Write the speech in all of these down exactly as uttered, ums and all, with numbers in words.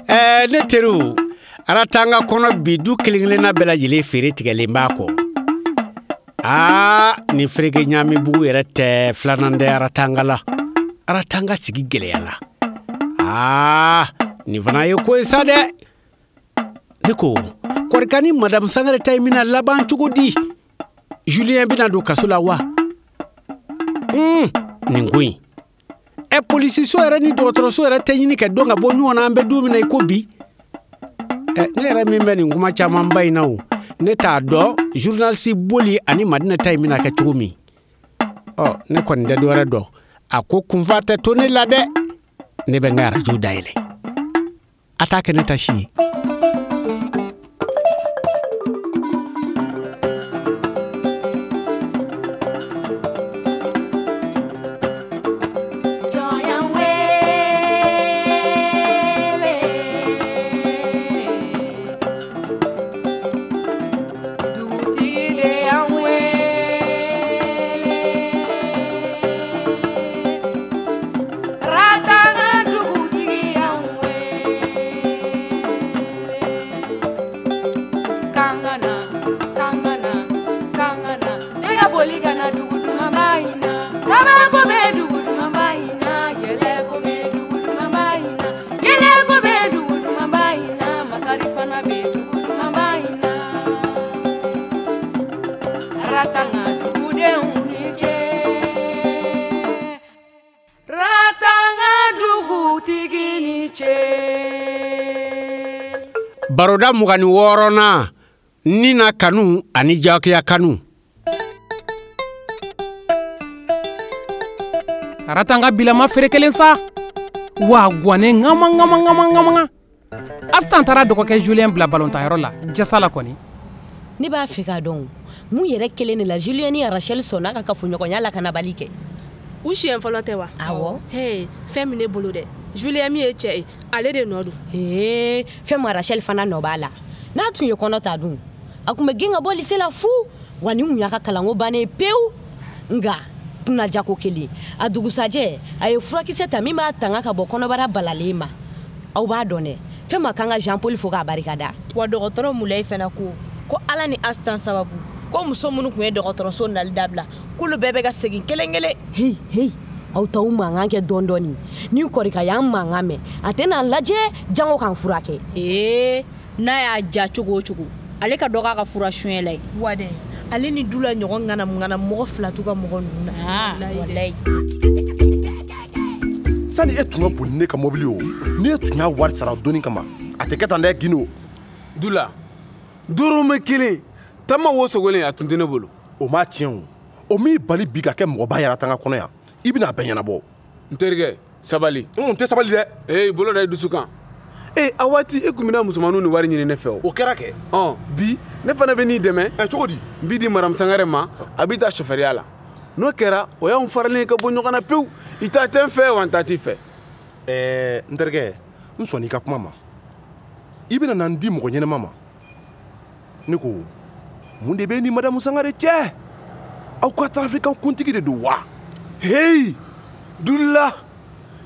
Ɛɛ ne teriw, Aratanga kɔnɔ bi du kelen kelenna bɛɛ lajɛlen feere tigɛlen b'a kɔ. Aa ni fereke ɲaamibugu yɛrɛ tɛ filanan tɛ Aratanga la. Aratanga sigi gɛlɛyala. Aa nin fana ye ko ye sa dɛ. Ne ko Kɔrika ni Madame Sangare ta in bɛna laban cogo di? Julien bɛna don kaso la wa? Un, nin ko in. Ɛ polisiso yɛrɛ ni dɔgɔtɔrɔso yɛrɛ tɛ ɲini ka dɔn ka bɔ ɲɔgɔn na an bɛ don min na i ko bi. Ɛ ne yɛrɛ min bɛ nin kuma camanba in na o, ne t'a dɔn journaliste Boli ani Madina ta in bɛna kɛ cogo min. Ɔ ne kɔni tɛ dɔwɛrɛ dɔn. A ko kunfa tɛ to ne la dɛ. Ne bɛ n ka arajo dayɛlɛ. A t'a kɛ ne ta si ye. Baroda mugan ni wɔɔrɔnan ni na kanu ani jagoya kanu. Aratanga bilama feere kelen sa. Wa guwanen ŋama ŋama ŋama ŋama. Asitan taara dɔgɔkɛ Julien bila balontanyɔrɔ la jasa la kɔni. Ne b'a fɛ k'a dɔn mun yɛrɛ kelen de la Julien ni Rachel sɔnna ka kafoɲɔgɔnya la ka na bali kɛ. U siɲɛ fɔlɔ tɛ wa? Awɔ. Hey, fɛn min ne bolo dɛ. Julien min ye cɛ ye, ale de nɔ don. Ee, fɛn ma Rachel fana nɔ b'a la. N'a tun ye kɔnɔ ta dun, a tun bɛ gɛn ka bɔ lycée la fu. Wa ni mun y'a ka kalanko bannen pewu. Nka kunnajako kelen, a dugusajɛ a ye furakisɛ ta min b'a tanga ka bɔ kɔnɔbara balalen ma. Aw b'a dɔn dɛ, fɛn ma kan ka Jean Paul fo k'a barikada. Wa dɔgɔtɔrɔ Mulayi fana ko ko Ala ni Asitan sababu ko muso minnu tun ye dɔgɔtɔrɔso nali dabila k'olu bɛɛ bɛ ka segin kelen kelen. Heyi heyi, aw t'aw mankan kɛ dɔɔni dɔɔni. Ni Kɔrika y'an mankan mɛn, a tɛna an lajɛ jango k'an furakɛ. Ee, n'a y'a ja cogo o cogo, ale ka dɔ k'a ka fura suɲɛ la ye. Wa dɛ, ale ni Dula ɲɔgɔn ŋanamu ŋanamu mɔgɔ fila t'u ka mɔgɔ ninnu na. Walayi. Sani e tun ka boli ne ka mobili o, ni e tun y'a wari sara donni kama, a tɛ kɛ tan dɛ Gindo. Dula, dɔrɔmɛ kelen, tama wo sogolen a tun tɛ ne bolo. O m'a tiɲɛ o, o m'i bali bi ka kɛ mɔgɔba yɛrɛ Aratanga kɔnɔ yan. I bɛna a bɛɛ ɲɛnabɔ. N terikɛ, sabali. N tɛ sabali dɛ. Ee, bolo da i dusu kan. Ee, a waati e kun bɛna musomaninw ni wari ɲini ne fɛ o. O kɛra kɛ. Ɔn, bi ne fana bɛ n'i dɛmɛ. Ɛ cogo di? N b'i di Madame Sangare ma, a b'i ta chauffeurya la. N'o kɛra, o y'anw faralen ye ka bɔ ɲɔgɔn na pewu. I ta tɛ n fɛ wa n ta t'i fɛ. Ɛɛ, n terikɛ, n sɔnn'i ka kuma ma. I bɛna na n di mɔgɔ ɲɛnama ma. Ne ko, mun de bɛ ni Madame Sangare cɛ? Aw ka trafiquant kuntigi de don wa? Hey, Dula,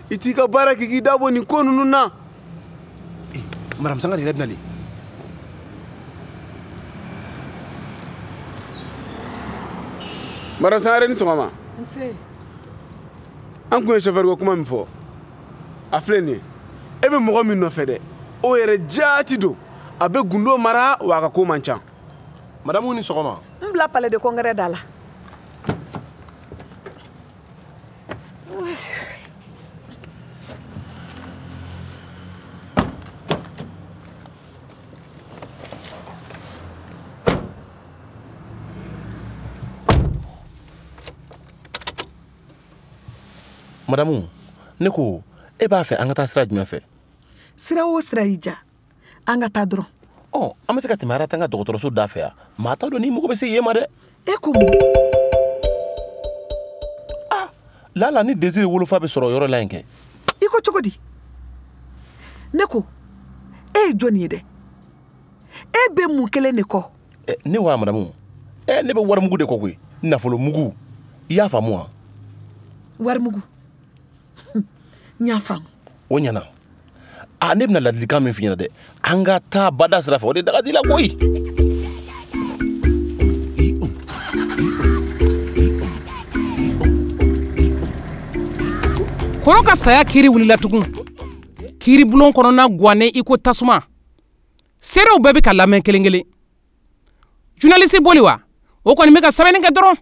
i t'i ka baara kɛ k'i da bɔ nin ko ninnu na. Eh, Madame Sangare yɛrɛ bɛ nalen. Madame Sangare ni sɔgɔma. Nse. An kun ye chauffeur ko kuma min fɔ, a filɛ nin ye. E bɛ mɔgɔ min nɔfɛ dɛ, o yɛrɛ jaati don. A bɛ gundo mara wa a ka ko man ca. Madame ni sɔgɔma. N bila palais de congrès da la. Madame, ne ko e b'a fɛ an ka taa sira jumɛn fɛ? Sira o sira y'i diya, an ka taa dɔrɔn. Ɔ, an bɛ se ka tɛmɛ Aratanga dɔgɔtɔrɔso da fɛ yan. Maa t'a dɔn n'i mago bɛ se yen ma dɛ. E ko mun? Ah, lala ni Désiré wolofa bɛ sɔrɔ o yɔrɔ la yen kɛ. I ko cogo di? Ne ko, e ye jɔnni ye dɛ? E bɛ mun kelen de kɔ? Ɛ, ne wa madamu? Ɛ, ne bɛ warimugu de kɔ koyi. Nafolomugu. I y'a faamu wa? Warimugu. N y'a faamu. O ɲɛna. A ne bɛna ladilikan min f'i ɲɛna dɛ, an ka taa bada sira fɛ, o de daga di la koyi. Kɔrɔ ka saya kiiri wulila tugun. Kiiribulon kɔnɔna guwannen i ko tasuma. Seerew bɛɛ bɛ ka lamɛn kelen kelen. Journaliste boli wa, o kɔni bɛ ka sɛbɛnni kɛ dɔrɔn.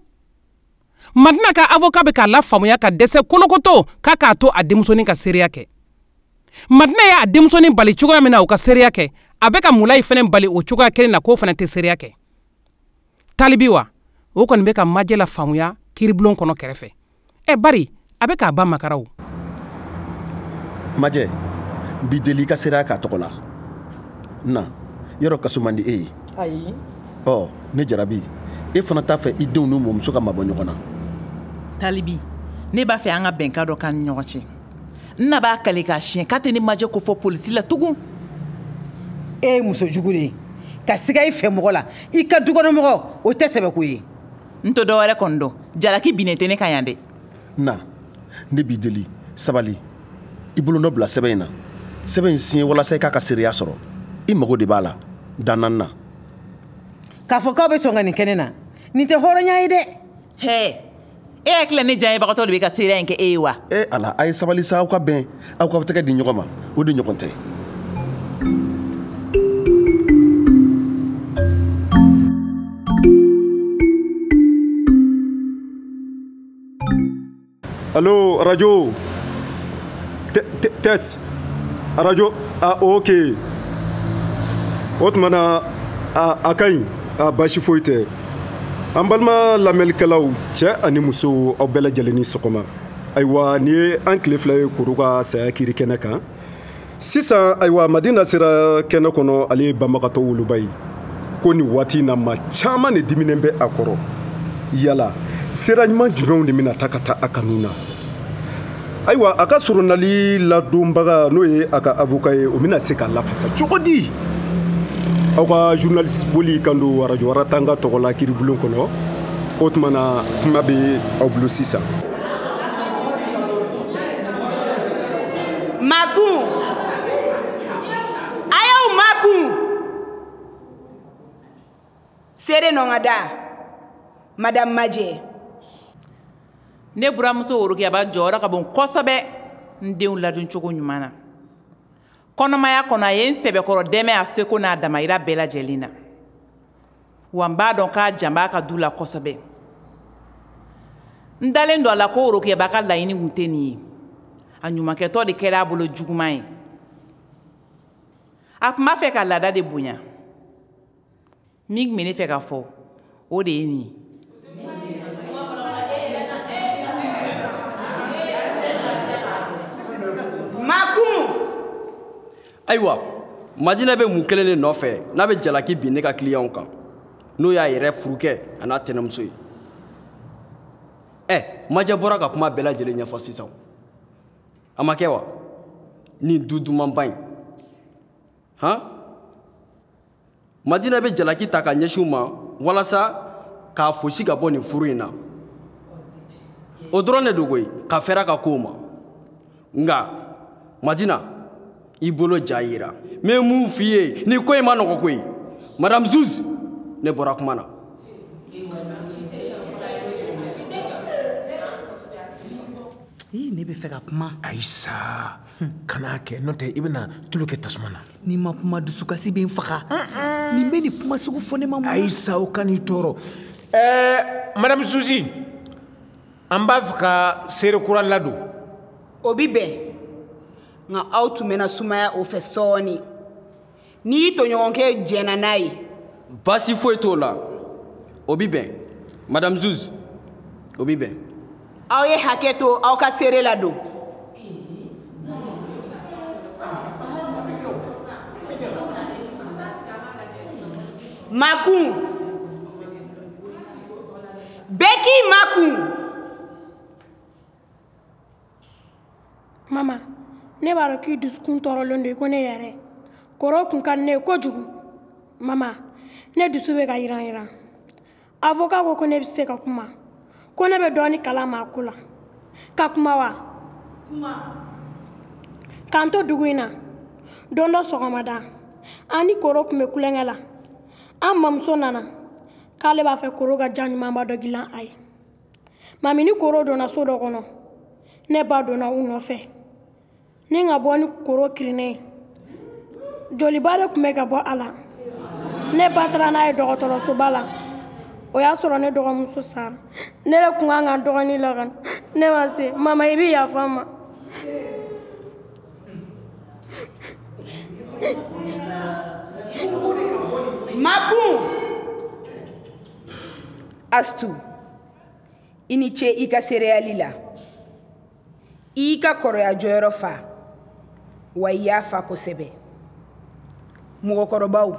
Madina ka avocat bɛ k'a lafaamuya ka dɛsɛ kolokoto k'a k'a to a denmusonin ka seereya kɛ. Madina y'a denmusonin bali cogoya min na o ka seereya kɛ, a bɛ ka Mulayi fana bali o cogoya kelen na k'o fana tɛ seereya kɛ. Talibi wa, o kɔni bɛ ka Majɛ lafaamuya kiiribulon kɔnɔ kɛrɛfɛ. Ɛ bari a bɛ k'a ba makara o. Majɛ, n b'i deli i ka seereya k'a tɔgɔ la. Na, yɔrɔ kaso man di e ye. Ayi. Ɔ, ne jarabi, e fana t'a fɛ i denw n'u mɔmuso ka mabɔ ɲɔgɔn na. Talibi, ne b'a fɛ an ka bɛnkan dɔ k'an ni ɲɔgɔn cɛ. N na b'a kale k'a siɲɛ k'a tɛ ne Majɛ ko fɔ polisi la tugun. E ye muso jugu de ye. Ka siga i fɛ mɔgɔ la, i ka dukɔnɔmɔgɔ, o tɛ sɛbɛko ye. N tɛ dɔwɛrɛ kɔni dɔn, jalaki binnen tɛ ne kan yan dɛ. Na, ne b'i deli, sabali. I bolonɔ bila sɛbɛn in na. Sɛbɛn in siɲɛ walasa i k'a ka seereya sɔrɔ. I mago de b'a la, dan naani na. K'a fɔ k'aw bɛ sɔn ka nin kɛ ne na, nin tɛ hɔrɔnya ye dɛ. Hɛ, e hakili la ne diyaɲebagatɔ de bɛ ka seereya in kɛ e ye wa? E Ala, a ye sabali sa, aw ka bɛn, aw k'aw tɛgɛ di ɲɔgɔn ma, o de ɲɔgɔn tɛ. Allo, radio. Tess. Radio. Ah, ok. O tuma na, a, a ka ɲi, a baasi foyi tɛ. An balima lamɛnnikɛlaw, cɛ ani muso, aw bɛɛ lajɛlen ni sɔgɔma. Ayiwa, nin ye an tile fila ye Koro ka saya kiiri kɛnɛ kan. Sisan, ayiwa, Madina sera kɛnɛ kɔnɔ, ale ye banbagatɔ woloba ye. Ko nin waati in na, maa caman de diminen bɛ a kɔrɔ. Yala, sira ɲuman jumɛnw de bɛna ta ka taa a kanu na? Ayiwa, a ka soronali ladonbaga n'o ye a ka avocat ye, o bɛna se k'a lafasa cogo di? Aw ka journaliste boli kan don arajo Aratanga tɔgɔ la kiiribulon kɔnɔ. O tuma na, kuma bɛ aw bolo sisan. Makun, a y'aw makun. Seere nɔ ka da, Madame Majɛ. Ne buramuso Worokiyaba jɔyɔrɔ ka bon kosɛbɛ n denw ladoncogo ɲuman na. Kɔnɔmaya kɔnɔ a ye n sɛbɛkɔrɔ dɛmɛ a seko n'a damayira bɛɛ lajɛlen na. Wa n b'a dɔn k'a jan b'a ka du la kosɛbɛ. N dalen don a la ko Worokiyaba ka laɲini kun tɛ nin ye. A ɲumankɛtɔ de kɛra a bolo juguman ye. A tun b'a fɛ ka laada de bonya. Min tun bɛ ne fɛ ka fɔ, o de ye nin ye. Makun. Ayiwa, Madina bɛ mun kelen de nɔfɛ n'a bɛ jalaki bin ne ka kiliyanw kan, n'o y'a yɛrɛ furukɛ a n'a tɛnɛmuso ye. Ɛ, Majɛ bɔra ka kuma bɛɛ lajɛlen ɲɛfɔ sisan. A ma kɛ wa? Nin du dumanba in. Han? Madina bɛ jalaki ta ka ɲɛsin u ma walasa k'a fosi ka bɔ nin furu in na. O dɔrɔn de don koyi, ka fɛrɛ a ka kow ma. Nka, Madina, i bolo ja yira. N bɛ mun f'i ye, nin ko in ma nɔgɔ koyi. Madame Zuz, ne bɔra kuma na. Ii, ne bɛ fɛ ka kuma. Ayisa, kan'a kɛ, n'o tɛ i bɛna tulu kɛ tasuma na. N'i ma kuma, dusukasi bɛ n faga. Nin bɛ nin kuma sugu fɔ ne ma mun na? Ayisa, o kan'i tɔɔrɔ. Ɛɛ, Madame Zuzi, an b'a fɛ ka seere kura ladon. O bi bɛn. Nka aw tun bɛna sumaya o fɛ sɔɔni. N'i y'i tɔɲɔgɔnkɛ jɛnna n'a ye. Baasi foyi t'o la. O bi bɛn. Madame Zuz, o bi bɛn. Aw ye hakɛ to aw ka seere ladon. Makun. Bɛɛ k'i makun. Mama, ne b'a dɔn k'i dusukun tɔɔrɔlen don i ko ne yɛrɛ. Kɔrɔ kun ka di ne ye kojugu. Mama, ne dusu bɛ ka yiran yiran. Avocat ko ko ne bɛ se ka kuma. Ko ne bɛ dɔɔnin kalama a ko la. Ka kuma wa? Kuma. K'an to dugu in na. Don dɔ sɔgɔmada, an ni Koro tun bɛ kulonkɛ la. An mamuso nana k'ale b'a fɛ Koro ka ja ɲumanba dɔ dilan a ye. Mami ni Koro donna so dɔ kɔnɔ, ne ba donna u nɔfɛ. Ni ka bɔ ni Koro kirinnen ye. Joliba de tun bɛ ka bɔ a la. Ne ba taara n'a ye dɔgɔtɔrɔsoba la. O y'a sɔrɔ ne dɔgɔmuso sara. Ne de tun kan ka n dɔgɔnin lakana. Ne ma se. Mama, i bɛ yafa n ma. Makun! Astu, i ni ce i ka seereyali la. I y'i ka kɔrɔya jɔyɔrɔ fa, wa i y'a fa kosɛbɛ. Mɔgɔkɔrɔbaw,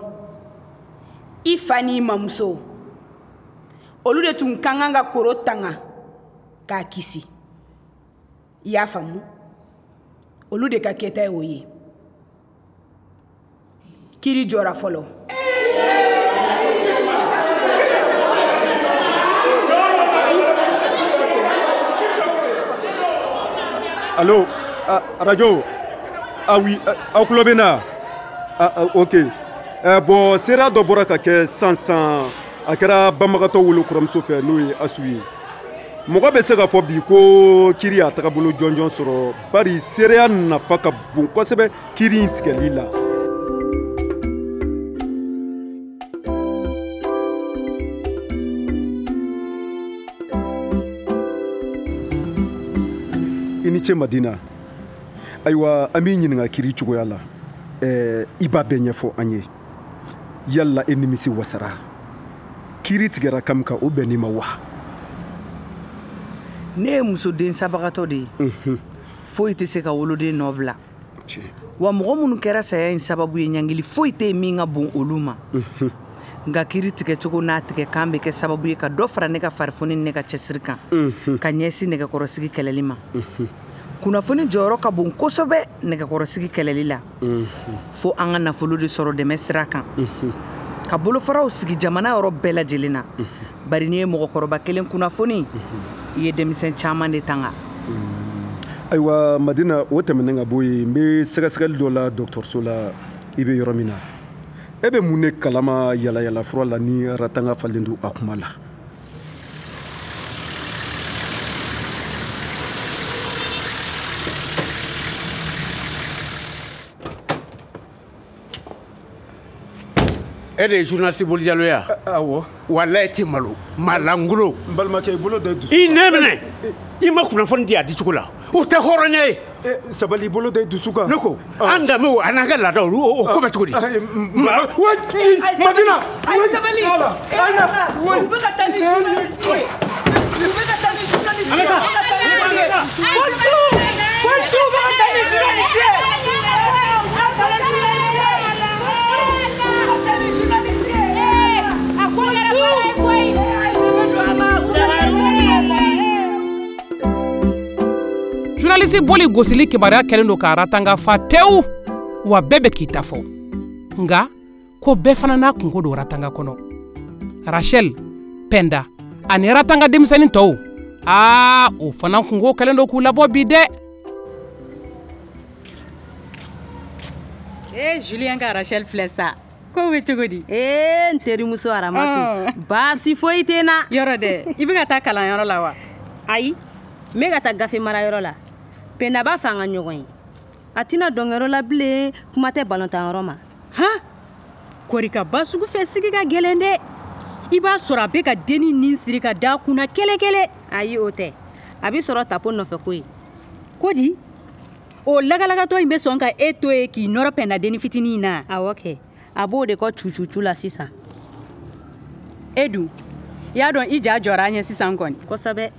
i fa n'i mamuso, olu de tun ka kan ka Koro tanga k'a kisi. I y'a faamu? Olu de ka kɛta ye o ye. Kiri jɔra fɔlɔ. Allo, ah, radio. Ah oui, aw tulo bɛ n na? Ah, ah, ok. Eh, bon, seereya dɔ bɔra ka kɛ sisan sisan, a kɛra banbagatɔ wolo kɔrɔmuso fɛ, n'o ye Asu ye. Mɔgɔ bɛ se k'a fɔ bi ko kiri y'a tagabolo jɔnjɔn sɔrɔ, bari seereya nafa ka bon kosɛbɛ kiri in tigɛli la. I ni ce Madina. Ayiwa, an b'i ɲininka kiri cogoya la. Ɛɛ, i b'a bɛɛ ɲɛfɔ an ye. Yala e nimisi wasara? Kiri tigɛra kan min kan, o bɛnn'i ma wa? Ne ye muso den sabagatɔ de ye. Foyi tɛ se ka woloden nɔ bila. Wa mɔgɔ minnu kɛra saya in sababu ye, ɲangili foyi tɛ yen min ka bon olu ma. Nka kiri tigɛcogo n'a tigɛ kan bɛ kɛ sababu ye ka dɔ fara ne ka farifoni ni ne ka cɛsiri kan, ka ɲɛsin nɛgɛkɔrɔsigi kɛlɛli ma. Kunnafoni jɔyɔrɔ ka bon kosɛbɛ nɛgɛkɔrɔsigi kɛlɛli la. Fo an ka nafolo de sɔrɔ dɛmɛ sira kan, ka bolofaraw sigi jamana yɔrɔ bɛɛ lajɛlen na. Bari n'i ye mɔgɔkɔrɔba kelen kunnafoni, i ye denmisɛn caman de tanga. Ayiwa Madina, o tɛmɛnen ka bɔ yen, n bɛ sɛgɛsɛgɛli dɔ la dɔgɔtɔrɔso la, i bɛ yɔrɔ min na. E bɛ mun de kalama yalayala fura la ni ratanga falen don a kuma la? E de ye journaliste Boli Jalo ye wa? Awɔ. Walayi e tɛ malo, malangolo. N balimakɛ, i bolo da i dusu kan. I nɛn minɛ. I ma kunnafoni di a dicogo la. O tɛ hɔrɔnya ye. Sabali, i bolo da i dusu kan. Ne ko, an danbew an'an ka laadaw, o ko bɛ cogo di? Madina! Ayi sabali! U bɛ ka taa ni journaliste ye. U bɛ ka taa ni journaliste ye. Polisiw! Polisiw bɛ ka taa ni journaliste ye. Journaliste Boli gosili kibaruya kɛlen don ka ratanga fa tewu, wa bɛɛ bɛ k'i ta fɔ. Nka ko bɛɛ fana n'a kunko don ratanga kɔnɔ. Rachel, Penda ani ratanga denmisɛnnin tɔw, aa o fana kunko kɛlen don k'u labɔ bi dɛ. Ee Julien ka Rachel filɛ sa. Ko bɛ cogo di? Ee n terimuso Aramatu, baasi foyi tɛ n na. Yɔrɔ dɛ, i bɛ ka taa kalanyɔrɔ la wa? Ayi, n bɛ ka taa gafe marayɔrɔ la. Penda b'a fɛ an ka ɲɔgɔn ye. A tɛna dɔnkɛyɔrɔ la bilen, kuma tɛ balɔntanyɔrɔ ma. Han! Kɔri ka ba sugu fɛ sigi ka gɛlɛn dɛ. I b'a sɔrɔ a bɛ ka dennin nin siri ka da kunna kɛlɛ-kɛlɛ. Ayi, o tɛ. A bɛ sɔrɔ tapo nɔfɛ ko ye. Ko di? O lagalagatɔ in bɛ sɔn ka e to yen k'i nɔrɔ Penda dennin fitinin in na? Awɔ kɛ. A b'o de kɔ cucucu la sisan. E dun, i y'a dɔn i ja jɔra an ɲɛ sisan kɔni. Kosɛbɛ.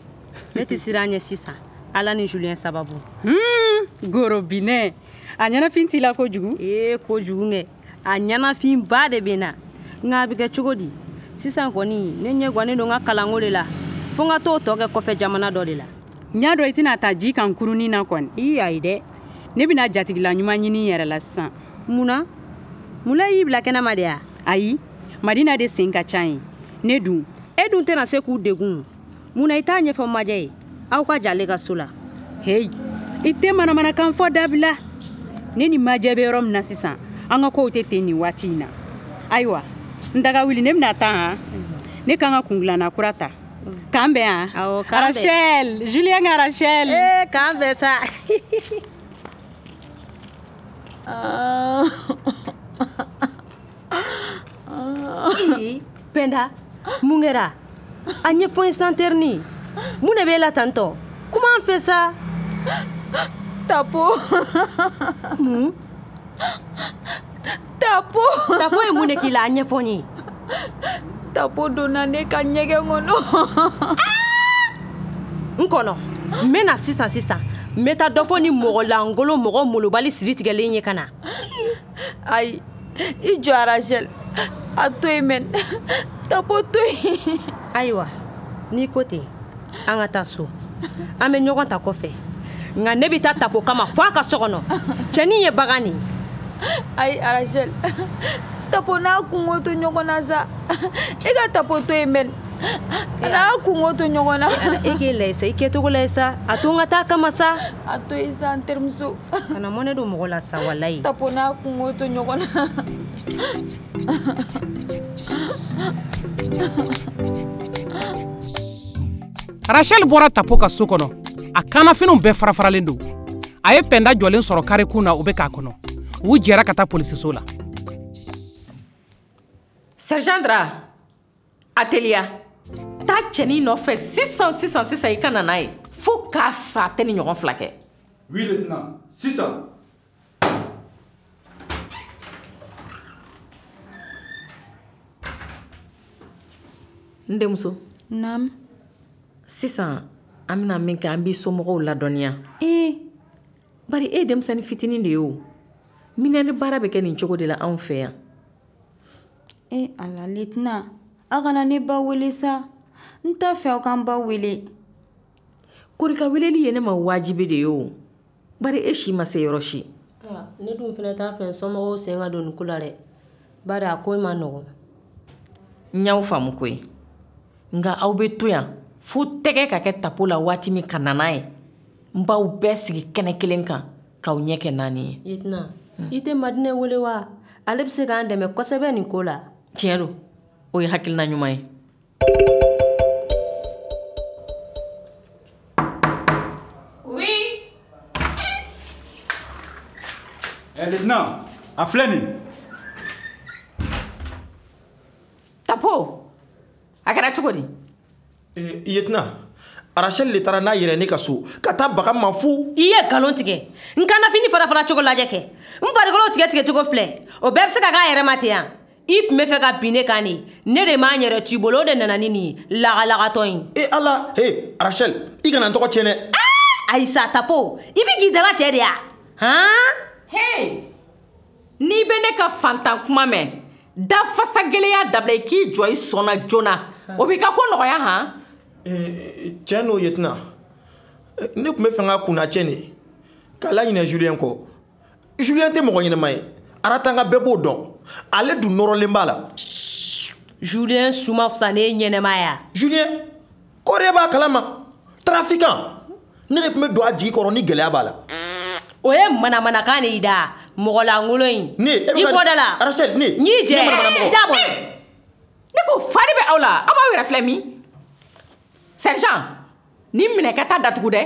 Ne tɛ siran an ɲɛ sisan. Ala ni Julien sababu. Hmm, gorobinɛ. A ɲɛnafin t'i la kojugu? Ee kojugu kɛ. A ɲɛnafinba de bɛ n na. Nka a bɛ kɛ cogo di? Sisan kɔni, ne ɲɛ gannen don n ka kalanko de la. Fo n ka t'o tɔ kɛ kɔfɛ jamana dɔ de la. N y'a dɔn i tɛna taa ji kan kurunin na kɔni. Ii ayi dɛ. Ne bɛna jatigila ɲuman ɲini n yɛrɛ la sisan. Mun na? Mun y'i bila kɛnɛma de ya? Ayi, Madina de sen ka ca ye. Ne dun. E dun tɛna se k'u degun. Mun na i t'a ɲɛfɔ Majɛ ye? Aw ka jale ka so la. Heyi, i tɛ manamanakan fɔ dabila. Ne ni Majɛ bɛ yɔrɔ min na sisan, an ka kow tɛ ten nin waati in na. Ayiwa, n daga wuli, ne bɛna taa han. Ne kan ka kungilanna kura ta. K'an bɛn han? Awɔ, k'an bɛn. Rachel, Julien ka Rachel. Ee, k'an bɛn sa. Ee, Penda, mun kɛra? A ɲɛfɔ n ye santerni. Mun de b'e la tantɔ? Kuma an fɛ sa. Tapo. Mun? Tapo. Tapo ye mun de k'i la? A ɲɛfɔ n ye. Tapo donna ne ka ɲɛgɛn kɔnɔ. N kɔnɔ, n bɛ na sisan sisan. N bɛ taa dɔ fɔ ni mɔgɔ lankolon mɔgɔ molobali siri tigɛlen ye ka na. Ayi, i jɔ Rachel. A to yen mɛn. Tapo to yen. Ayiwa, n'i ko ten, an ka taa so. An bɛ ɲɔgɔn ta kɔfɛ. Nka ne bɛ taa Tapo kama fo a ka so kɔnɔ. Cɛnin ye bagan de ye. Ayi Rachel, Tapo n'a kungo to ɲɔgɔn na sa. E ka Tapo to yen mɛn. A n'a kungo to ɲɔgɔn na. E k'e lajɛ sa, i kɛcogo lajɛ sa. A to n ka taa kama sa. A to yen sa n terimuso. Kana mɔnɛ don mɔgɔ la sa walayi. Tapo n'a kungo to ɲɔgɔn na. Rachel bɔra Tapo ka so kɔnɔ. A kannafiniw bɛɛ farafaralen don. A ye Pɛnda jɔlen sɔrɔ karekun na, o bɛ k'a kɔnɔ. U jɛra ka taa polisiso la. Sergent Dra, a teliya. Taa cɛnin nɔfɛ sisan sisan sisan i ka na n'a ye. Fo k'a sa a tɛ ni ɲɔgɔn fila kɛ. Oui, lieutenant. Sisan. N denmuso. Naam. Sisan an bɛna min kɛ, an b'i somɔgɔw ladɔnniya. Ee. Bari e ye denmisɛnnin fitinin de ye o. Minɛni baara bɛ kɛ nin cogo de la anw fɛ yan. E ala lieutenant, aw kana ne ba wele sa. N t'a fɛ aw k'an ba wele. Korika weleli ye ne ma wajibi de ye o. Bari e si ma se yɔrɔ si. Ne dun fana t'a fɛ somɔgɔw sen ka don nin ko la dɛ. Bari a ko in ma nɔgɔn. N y'aw faamu koyi. Nka aw bɛ to yan fo tɛgɛ ka kɛ Tapo la waati min ka na n'a ye. N b'aw bɛɛ sigi kɛnɛ kelen kan k'aw ɲɛ kɛ naani ye. Lieutenant, i tɛ Madinɛ wele wa? Ale bɛ se k'an dɛmɛ kosɛbɛ nin ko la. Tiɲɛ don, o ye hakilina ɲuman ye. Oui. Eh, lieutenant, a filɛ nin. Tapo, a kɛra cogo di? Eh, lieutenant, Rachel le taara n'a yɛrɛ ne ka so ka taa baga ma fu. I ye nkalon tigɛ. N kannafini fara fara cogo lajɛ kɛ. N farikolo tigɛ tigɛ cogo filɛ. O bɛɛ bɛ se ka k'a yɛrɛ ma ten yan. I tun bɛ fɛ ka bin ne kan de. Ne de m'an yɛrɛ t'i bolo, o de nana ni nin ye. Lagalagatɔ in. E ala, he Rachel, i kana n tɔgɔ tiɲɛ dɛ. Ayi sa Tapo, i bɛ k'i dala cɛ de ya? Han? Hey! N'i bɛ ne ka fantan kuma mɛn, da fasa gɛlɛya dabila i k'i jɔ i sɔn na joona. O b'i ka ko nɔgɔya han? Tiɲɛ n'o lieutenant, ne tun bɛ fɛ ka kunna cɛ de k'a laɲinɛ Julien kɔ. Julien tɛ mɔgɔ ɲɛnama ye. Aratanga bɛɛ b'o dɔn. Ale dun nɔrɔlen b'a la. Julien su ma fisa ne ɲɛnɛma ya. Julien, kɔri b'a kalama. Trafiquant. Ne de tun bɛ don a jigi kɔrɔ ni gɛlɛya b'a la. O ye manamanakan de y'i da. Mɔgɔ lankolon in. Ne, e bɛ i bɔ da la. Rachel, ne. N y'i jɛ. Ne da bɔ. Ne ko fa de bɛ aw la. Aw b'aw yɛrɛ filɛ min? Sergent, ni minɛ ka taa datugu dɛ.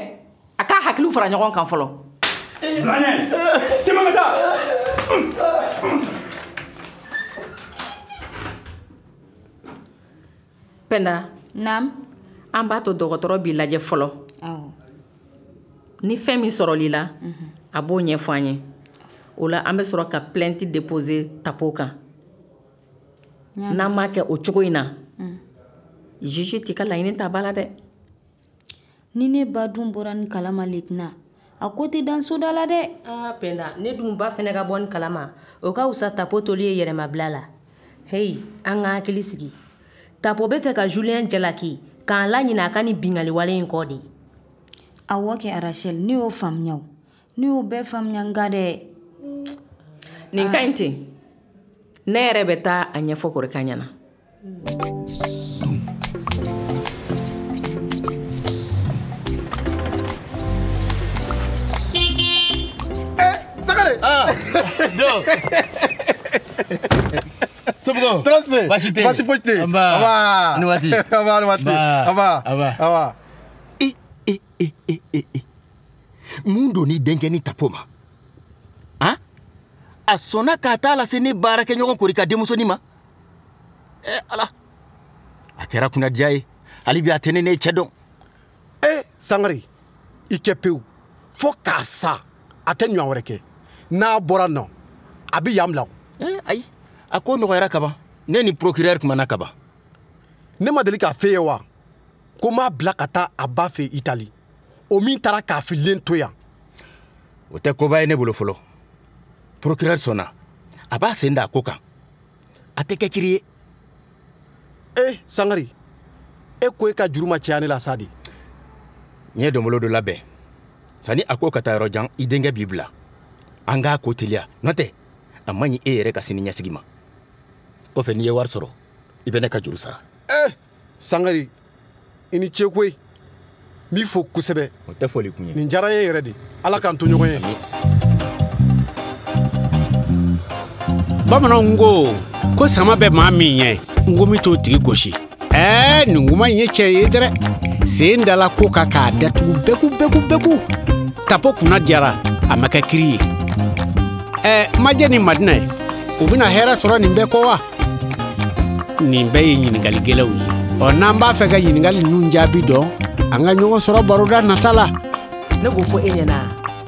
A k'a hakiliw fara ɲɔgɔn kan fɔlɔ. Bila ɲɛ. Tɛmɛ ka taa. Pɛnda. Naam. An b'a to dɔgɔtɔrɔ b'i lajɛ fɔlɔ. Awɔ. Ni fɛn min sɔrɔl'i la, a b'o ɲɛfɔ an ye. O la an bɛ sɔrɔ ka plainte déposer Tapo kan. N'an m'a kɛ o cogo in na, juge t'i ka laɲini ta ba la dɛ. Ni ne ba dun bɔra nin kalama lieutenant, a ko tɛ dan soda la dɛ. Aa Pɛnda, ne dun ba fɛnɛ ka bɔ nin kalama, o ka fisa Tapo toli ye yɛrɛmabila la. Heyi, an ka hakili sigi. Tapo bɛ fɛ ka Julien jalaki k'an laɲinɛ a ka nin binkanni wale in kɔ de. Awɔ kɛ Rachel, ne y'o faamuya o. Ne y'o bɛɛ faamuya nka dɛ. Nin ka ɲi ten. Ne yɛrɛ bɛ taa a ɲɛfɔ Korika ɲɛna. Sangare, Ah, do. Somɔgɔw? Tɔɔrɔ tɛ yen. Baasi tɛ yen. Baasi foyi tɛ yen. Nba. Nba. Ni waati. Nba ni waati. Nba. Nba. Nba. Nba. E e e e e e. Mun don ni denkɛ ni tapo ma? Han? A sɔnna k'a t'a lase ne baarakɛɲɔgɔn Korika denmusonin ma? Eh Ala. A kɛra kunnadiya ye. Hali bi a tɛ ne n'e cɛ dɔn. E Sangare, i kɛ pewu. Fo k'a sa, a tɛ ɲɔgɔn wɛrɛ kɛ. N'a bɔra nɔ, a bɛ yan bila. Eh ayi, a ko nɔgɔyara kaban. Ne ni procureur kumana kaban. Ne ma deli k'a f'e ye wa? Ko n b'a bila ka taa a ba fɛ Itali. O min taara k'a fililen to yan. O tɛ koba ye ne bolo fɔlɔ. Procureur sɔnna. A b'a sen da a ko kan. A tɛ kɛ kiri ye. Eh Sangare, e ko e ka juru ma caya ne la sa de. N ye donbolo dɔ labɛn. Sani a ko ka taa yɔrɔ jan, i denkɛ b'i bila. An k'a ko teliya. N'o tɛ, a man ɲi e yɛrɛ ka sini ɲɛsigi ma. Kɔfɛ n'i ye wari sɔrɔ, i bɛ ne ka juru sara. Eh Sangare, i ni ce koyi. N b'i fo kosɛbɛ. O tɛ foli kun ye. Nin diyara n ye yɛrɛ de. Ala k'an to ɲɔgɔn ye. Bamananw ko ko sama bɛ maa min ɲɛ, nkomi t'o tigi gosi. Ɛɛ nin kuma in ye tiɲɛ ye dɛ. Sen dala ko kan k'a datugu bɛku bɛku bɛku. Tapo kunna diyara, a ma kɛ kiri ye. Ɛɛ Majɛ ni Madinɛ, u bɛna hɛrɛ sɔrɔ nin bɛɛ kɔ wa? Nin bɛɛ ye ɲininkali gɛlɛnw ye. Ɔ n'an b'a fɛ ka ɲininkali ninnu jaabi dɔn, an ka ɲɔgɔn sɔrɔ baroda nata la. Ne k'o fɔ e ɲɛna,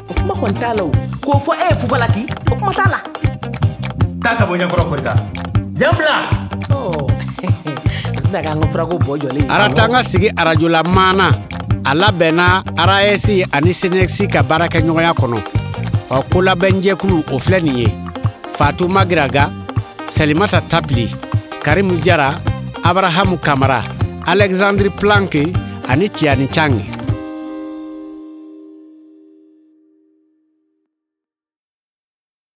o kuma kɔni t'a la o. K'o fɔ e ye Fufalaki, o kuma t'a la. Taa ka bɔ ɲɛkɔrɔ Korika. Yan bila. Ɔ a tɛna k'an ka furako bɔ jɔlen ye. Aratanga sigi arajola maana a labɛnna A R A S ani C N S ka baarakɛɲɔgɔnya kɔnɔ. Ɔ kolabɛnjɛkulu o filɛ nin ye: Fatou Magiraga, Salimata Tabili, Karimu Jara, Abrahamu Kamara, Alexandre Planck ani Tiani Chang.